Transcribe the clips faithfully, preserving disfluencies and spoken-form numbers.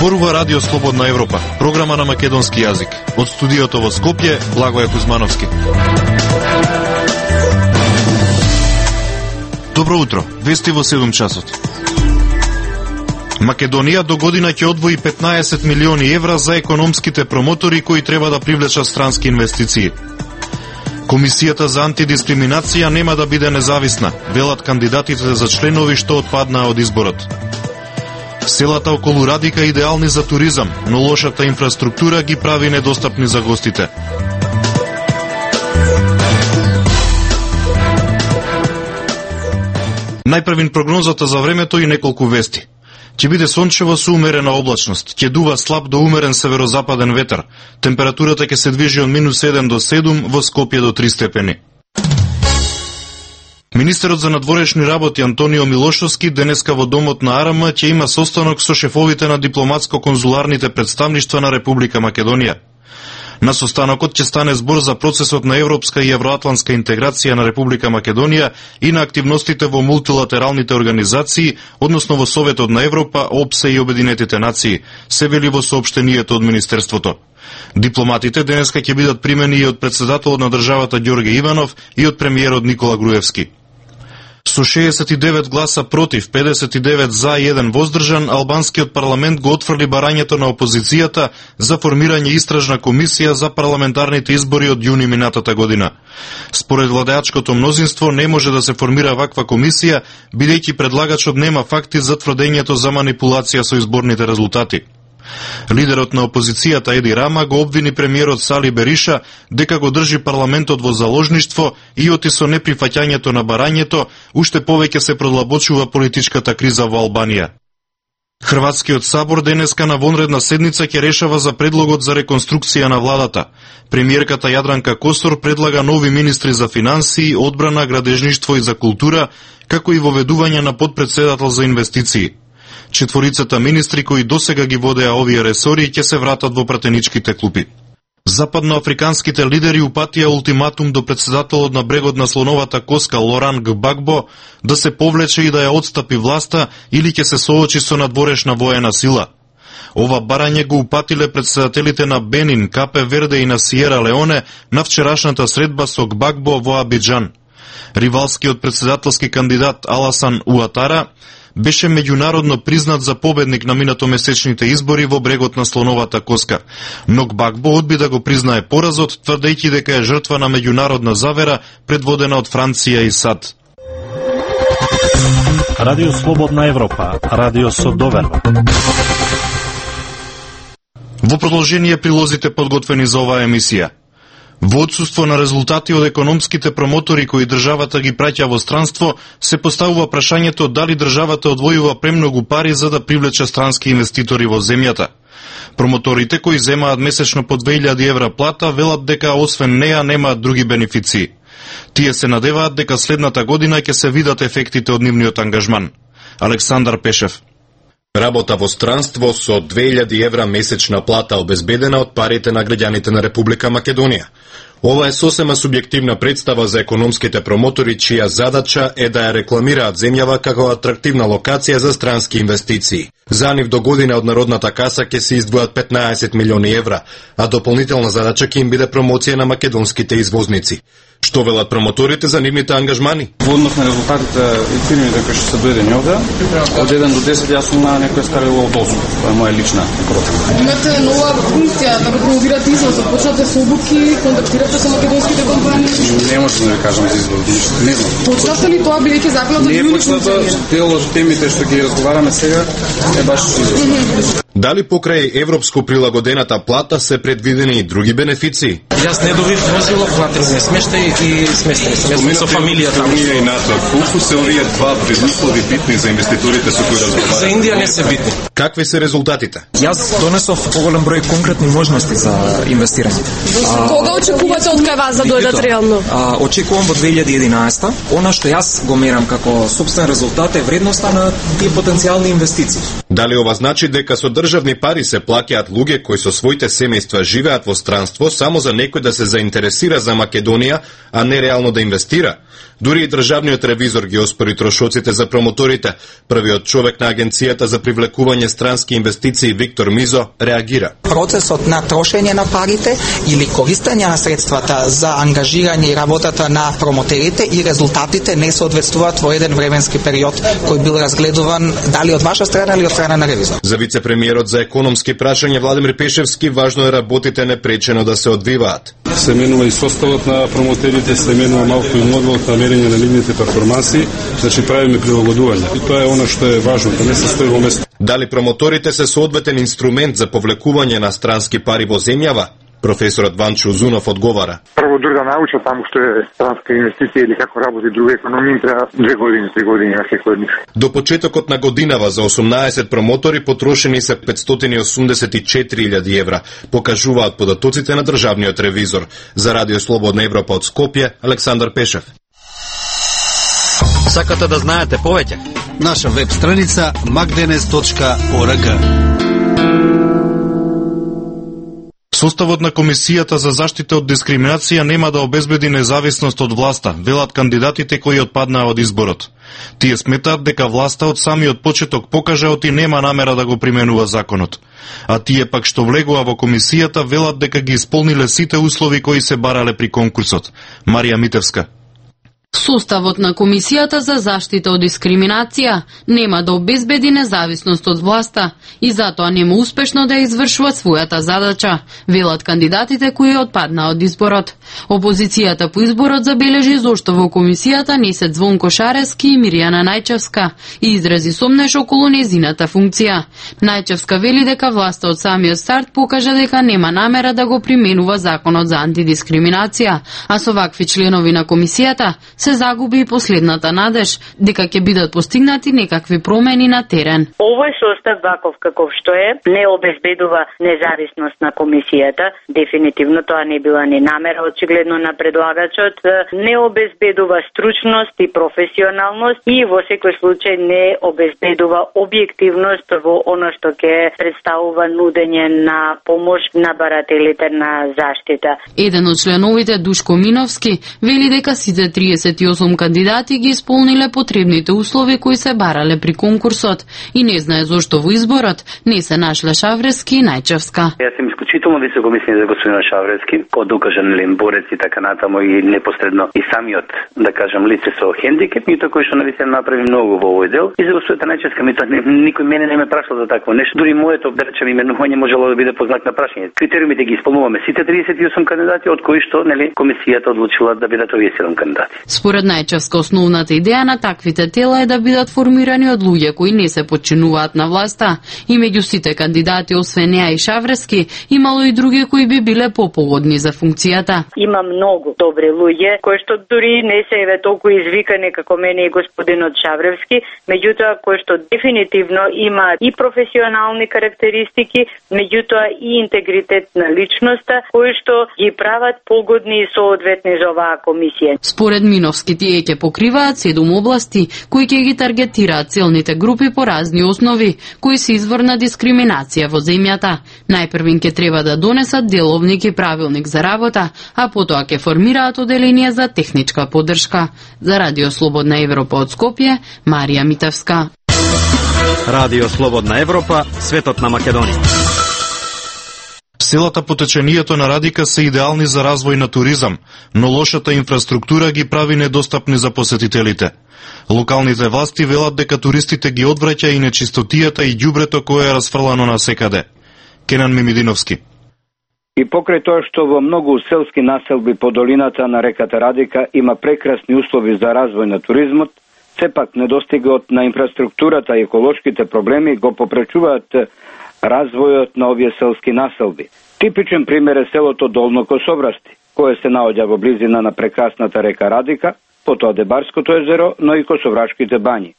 Зборува Радио Слободна Европа, програма на македонски јазик. Од студиото во Скопје, Благоје Кузмановски. Добро утро, вести во седум часот. Македонија до година ќе одвои петнаесет милиони евра за економските промотори кои треба да привлечат странски инвестиции. Комисијата за антидискриминација нема да биде независна, велат кандидатите за членови што отпаднаа од изборот. Селата околу Радика идеални за туризам, но лошата инфраструктура ги прави недостапни за гостите. Најпрвин прогнозата за времето и неколку вести. Ќе биде сончево со умерена облачност, ќе дува слаб до умерен северозападен ветер. Температурата ќе се движи од минус еден до седум, во Скопје до три степени. Министерот за надворешни работи Антонио Милошовски денеска во домот на АРМ ќе има состанок со шефовите на дипломатско-конзуларните представништва на Република Македонија. На состанокот ќе стане збор за процесот на европска и евроатлантска интеграција на Република Македонија и на активностите во мултилатералните организации, односно во Советот на Европа, ОПСЕ и Обединетите нации, се вели во соопштенијето од Министерството. Дипломатите денеска ќе бидат примени и од председателот на државата Ѓорѓе Иванов и од премиерот Никола Груевски. Со шеесет и девет гласа против, педесет и девет за и еден воздржан, албанскиот парламент го отфрли барањето на опозицијата за формирање истражна комисија за парламентарните избори од јуни минатата година. Според владеачкото мнозинство не може да се формира ваква комисија, бидејќи предлагачот нема факти за тврдењето за манипулација со изборните резултати. Лидерот на опозицијата Еди Рама го обвини премиерот Сали Бериша дека го држи парламентот во заложништво и оти со неприфаќањето на барањето уште повеќе се продлабочува политичката криза во Албанија. Хрватскиот сабор денеска на вонредна седница ќе решава за предлогот за реконструкција на владата. Премиерката Јадранка Косор предлага нови министри за финансии, одбрана, градежништво и за култура, како и воведување на подпредседател за инвестиции. Четворицата министри кои досега ги водеа овие ресори ќе се вратат во пратеничките клупи. Западноафриканските лидери упатија ултиматум до председателот на брегот на слоновата коска Лоран Гбагбо да се повлече и да ја отстапи власта или ќе се соочи со надворешна воена сила. Ова барање го упатиле председателите на Бенин, Капе Верде и на Сиера Леоне на вчерашната средба со Гбагбо во Абиџан. Ривалскиот председателски кандидат Аласан Уатара беше меѓународно признат за победник на минатомесечните избори во брегот на слоновата коска. Но Гбагбо одби да го признае поразот, тврдејќи дека е жртва на меѓународна завера предводена од Франција и САД. Радио Слободна Европа, радио со доверба. Во продолжение прилозите подготвени за оваа емисија. Во отсуство на резултати од економските промотори кои државата ги праќа во странство, се поставува прашањето дали државата одвојува премногу пари за да привлече странски инвеститори во земјата. Промоторите кои земаат месечно по две илјади евра плата велат дека освен неа немаат други бенефиции. Тие се надеваат дека следната година ќе се видат ефектите од нивниот ангажман. Александар Пешев. Работа во странство со две илјади евра месечна плата обезбедена од парите на граѓаните на Република Македонија. Ова е сосема субјективна представа за економските промотори, чија задача е да ја рекламираат земјава како атрактивна локација за странски инвестиции. За нив до година од народната каса ќе се издвојат петнаесет милиони евра, а дополнителна задача ќе им биде промоција на македонските извозници. Што велат промоторите за нивните ангажмани? Во однос на резултатите и фирмите кои што се дојдени овде, од еден до десет јас сум на некоја ставила од осум. Тоа е моја лична процена. Имате нова функција да го промовирате извозот, почнате со обуки, контактирате со македонските компании? Не можам да ви кажам за извоз, ништо не знам. Почнате ли тоа бидејќи законот за не почната, дел од темите што ги разговараме сега е баш извоз. Дали покрај европско прилагодената плата се предвидени и други бенефиции? Јас не добив возило, платил ми смештај и сместени сме со фамилија таму. И НАТО, колку се овие два предуслови битни за инвеститорите со кои разговараме? За Индија не се битни. Какви се резултатите? Јас донесов поголем број конкретни можности за инвестирање. Кога очекувате од кај вас да дојдат реално? А, очекувам во две илјади и единаесета. Она што јас го мерам како сопствен резултат е вредноста на тие потенцијални инвестиции. Дали ова значи дека со државни пари се плаќаат луѓе кои со своите семејства живеат во странство само за некој да се заинтересира за Македонија, а не реално да инвестира. Дури и државниот ревизор ги оспори трошоците за промоторите. Првиот човек на Агенцијата за привлекување странски инвестиции Виктор Мизо реагира. Процесот на трошење на парите или користење на средствата за ангажирање и работата на промотерите и резултатите не соодветствуваат во еден временски период кој бил разгледуван дали од ваша страна или од страна на ревизор. За вице-премиерот за економски прашања Владимир Пешевски важно е работите непречено да се одвиваат. Се менува и составот на промотерите, се менува малку и моделот на мерење на нивните перформанси, значи правиме прилагодување. И тоа е она што е важно, да не се стои во место. Дали промоторите се соодветен инструмент за повлекување на странски пари во земјава? Професорот Ванчо Узунов одговара. Прво дури да научат таму што е странска инвестиција или како работи друга економија, треба две години, три години на секој од нив. До почетокот на годинава за осумнаесет промотори потрошени се петстотини и осумдесет и четири илјади евра, покажуваат податоците на државниот ревизор. За Радио Слободна Европа од Скопје, Александар Пешев. Сакате да знаете повеќе? Наша веб страница magdenes точка org. Составот на Комисијата за заштита од дискриминација нема да обезбеди независност од власта, велат кандидатите кои отпаднаа од изборот. Тие сметаат дека власта од самиот почеток покажаот и нема намера да го применува законот. А тие пак што влегува во комисијата велат дека ги исполниле сите услови кои се барале при конкурсот. Марија Митевска. Составот на Комисијата за заштита од дискриминација нема да обезбеди независност од власта и затоа нема успешно да извршува својата задача, велат кандидатите кои отпаднаа од изборот. Опозицијата по изборот забележи зошто во комисијата не се Звонко Шарески и Мирјана Најчевска и изрази сомнеш околу незината функција. Најчевска вели дека власта од самиот старт покажа дека нема намера да го применува законот за антидискриминација, а со вакви членови на комисијата се загуби и последната надеж дека ќе бидат постигнати некакви промени на терен. Овој состав ваков каков што е не обезбедува независност на комисијата. Дефинитивно тоа не била ни намера очигледно на предлагачот, не обезбедува стручност и професионалност и во секој случај не обезбедува објективност во она што ќе представува нудење на помош на барателите на заштита. Еден од членовите, Душко Миновски, вели дека сите триесет и осум кандидати ги исполниле потребните услови кои се барале при конкурсот и не знае зошто во изборот не се нашле Шаврески и Најчевска. Јас сум исклучително високо мислење за господин Шаврески, од докажан борец и така натаму и непосредно и самиот, да кажам, лице со хендикеп, мито кој што навистина направи многу во овој дел. И за господата Најчевска мито никој мене не ме прашал за такво нешто. Дури моето, да речем, именување можело да биде по знак на прашање. Критериумите ги исполнуваме сите триесет и осум кандидати, од кои што, нели, комисијата одлучила да бидат овие седум кандидати. Според Најчевска, основната идеја на таквите тела е да бидат формирани од луѓе кои не се подчинуваат на власта и меѓу сите кандидати, освен неа и Шаврески, имало и други кои би биле попогодни за функцијата. Има многу добри луѓе кои што дури не се еве толку извикани како мене и господинот Шаврески, меѓутоа кои што дефинитивно имаат и професионални карактеристики, меѓутоа и интегритет на личноста, кои што ги прават погодни и соодветни за оваа комисија. Според Миновски, тие ќе покриваат седум области кои ќе ги таргетираат целните групи по разни основи, кои се извор на дискриминација во земјата. Најпрвин ќе треба да донесат деловник и правилник за работа, а потоа ќе формираат оделение за техничка поддршка. За Радио Слободна Европа од Скопје, Марија Митевска. Радио Слободна Европа, светот на Македонија. Селата по течението на Радика се идеални за развој на туризам, но лошата инфраструктура ги прави недостапни за посетителите. Локалните власти велат дека туристите ги одвраќа и нечистотијата и ѓубрето кое е расфрлано насекаде. Кенан Мимидиновски. И покрај тоа што во многу селски населби по долината на реката Радика има прекрасни услови за развој на туризмот, сепак недостигот на инфраструктурата и еколошките проблеми го попречуваат развојот на овие селски населби. Типичен пример е селото Долно Косоврасти, кое се наоѓа во близина на прекрасната река Радика, потоа Дебарското езеро, но и Косоврашките бањи.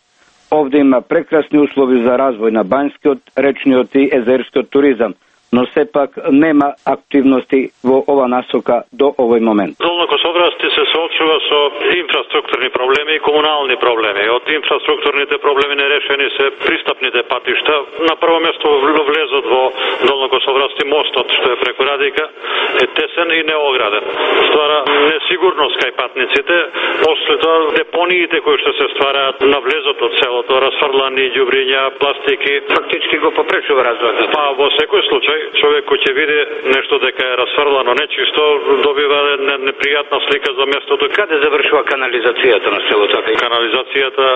Овде има прекрасни услови за развој на банјскиот, речниот и езерскиот туризам, но сепак нема активности во ова насока до овој момент. Долно Косоврасти се соопштува соочува со инфраструктурни проблеми и комунални проблеми. Од инфраструктурните проблеми нерешени се пристапните патишта. На прво место влезот во Долнокосоврасти мостот, што е преку Радика, е тесен и неограден. Ствара несигурност кај патниците. После тоа депониите кои што се ствараат на влезот од селото, расфрлани ѓубриња, пластики, фактички го попречува развојот. Па во секој случај човек кој ќе види нешто дека е расфрлано нечисто, добива непријатна слика за местото. Каде завршува канализацијата на селото? Канализацијата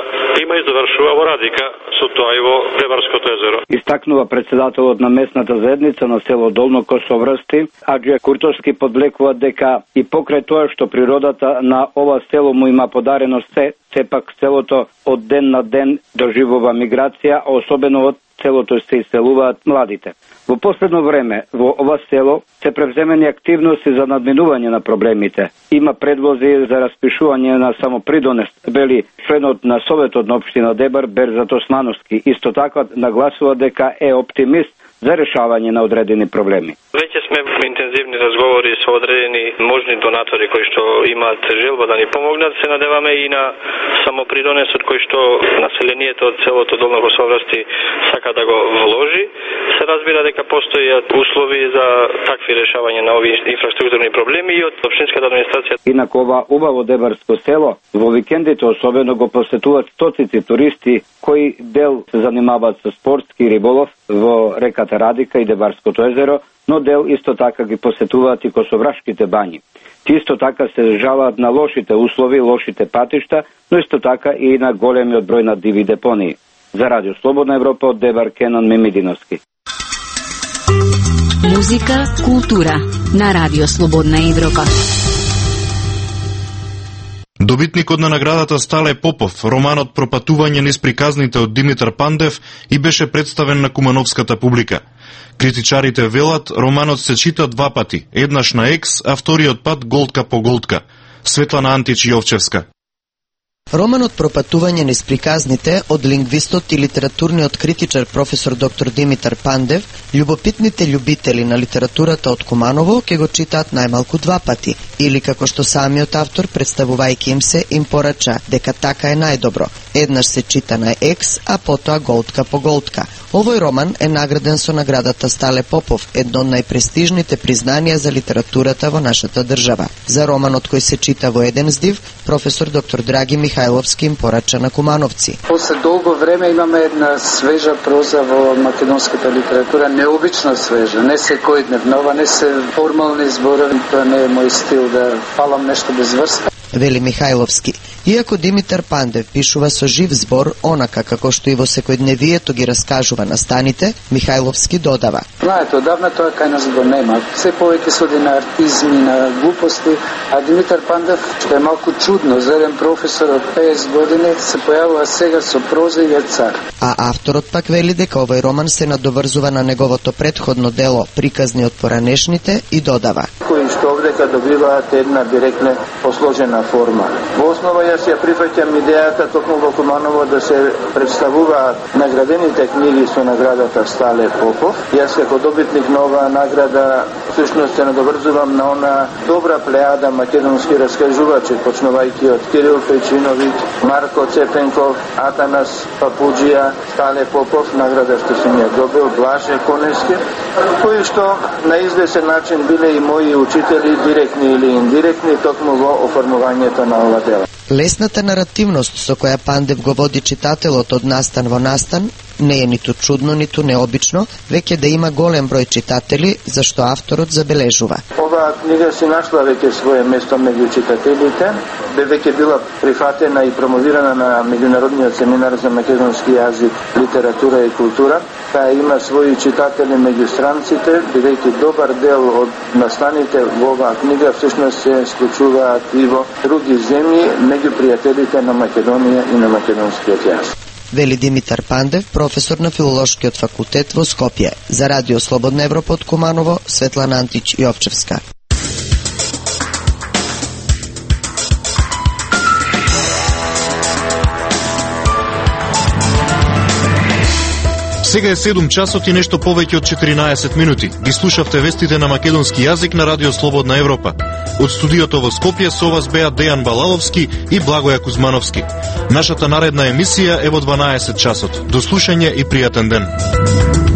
има и завршува во Радика, со тоа и во Деварското езеро. Истакнува председателот на местната заедница на село Долно Косоврсти, Аџија Куртовски, подвлекува дека и покрај тоа што природата на ова село му има подарено се, сепак селото од ден на ден доживува миграција, а особено од селото се иселуваат младите. Во последно време во ова село се превземени активности за надминување на проблемите. Има предлози за распишување на самопридонес, вели членот на Советот на општина Дебар Берзат Османовски. Исто така нагласува дека е оптимист за решавање на одредени проблеми. Веќе сме во интензивни разговори со одредени можни донатори кои што имаат желба да ни помогнат. Се надеваме и на самопридонесот кој што населението од селото Долно Косоврсти сака да го вложи. Се разбира дека постојат услови за такви решавање на овие инфраструктурни проблеми и од општинската администрација. Инаку ова убаво дебарско село во викендите особено го посетуваат стоцици туристи кои дел се занимаваат со спортски риболов во реката Радика и Деварското езеро, но дел исто така ги посетуваат и косоврашките бањи. Ти исто така се жалаат на лошите услови, лошите патишта, но исто така и на големиот број на диви депонии. За Радио Слободна Европа од Дебар Кенан Мемидиновски. Музика, култура на Радио Слободна Европа. Добитникот на наградата Стале Попов, романот Пропатување низ приказните од Димитар Пандев, и беше представен на кумановската публика. Критичарите велат, романот се чита два пати, еднаш на екс, а вториот пат голтка по голтка. Светлана Антич Јовчевска. Романот Пропатување низ приказните од лингвистот и литературниот критичар професор доктор Димитар Пандев, љубопитните љубители на литературата од Куманово ќе го читаат најмалку два пати, или како што самиот автор, представувајќи им се, им порача дека така е најдобро. Еднаш се чита на екс, а потоа голтка по голтка. Овој роман е награден со наградата Стале Попов, едно од најпрестижните признанија за литературата во нашата држава. За романот кој се чита во еден здив, професор доктор Драги Михајловски им порача на кумановци. После долго време имаме една свежа проза во македонската литература, необично свежа, не секојдневнова, не се формални зборови, тоа не е мој стил да фалам нешто без врска. Вели Михајловски. Иако Димитар Пандев пишува со жив збор, онака како што и во секојдневието ги раскажува настаните, Михајловски додава. Знаете, одавна тоа кај нас го нема. Се повеќе се оди на артизми, на глупости, а Димитар Пандев, што е малку чудно, за еден професор од песет години, се појавува сега со проза и е цар. А авторот пак вели дека овој роман се надоврзува на неговото претходно дело Приказни од поранешните и додава. Кои што овдека добиваат една директна посложена форма. Во основа јас ја прифаќам идејата токму во Куманово да се представуваат наградените книги со наградата Стале Попов. Јас како добитник на оваа награда всушност се надоврзувам на она добра плејада македонски раскажувачи, почнувајќи од Кирил Печиновиќ, Марко Цепенков, Атанас Папуџија, Стале Попов, награда што сум ја добил, Блаже Конески, кои што на извесен начин биле и мои учители, директни или индиректни, токму во оформувањето на ова дело. Лесната наративност со која Пандев го води читателот од настан во настан не е ниту чудно, ниту необично, веќе да има голем број читатели, зашто авторот забележува. Оваа книга си нашла веќе свое место меѓу читателите, бе веќе била прифатена и промовирана на меѓународниот семинар за македонски јазик, литература и култура. Таа има своји читатели меѓу странците, бидејќи добар дел од настаните во оваа книга всушност се случуваат и во други земји, меѓу пријателите на Македонија и на македонскиот јазик. Вели Димитар Пандев, професор на Филолошкиот факултет во Скопје. За Радио Слободна Европа од Куманово, Светлана Антич Јовчевска. Сега е седум часот и нешто повеќе од четиринаесет минути. Ги слушавте вестите на македонски јазик на Радио Слободна Европа. Од студиото во Скопје со вас беа Дејан Балаловски и Благоја Кузмановски. Нашата наредна емисија е во дванаесет часот. До слушање и пријатен ден.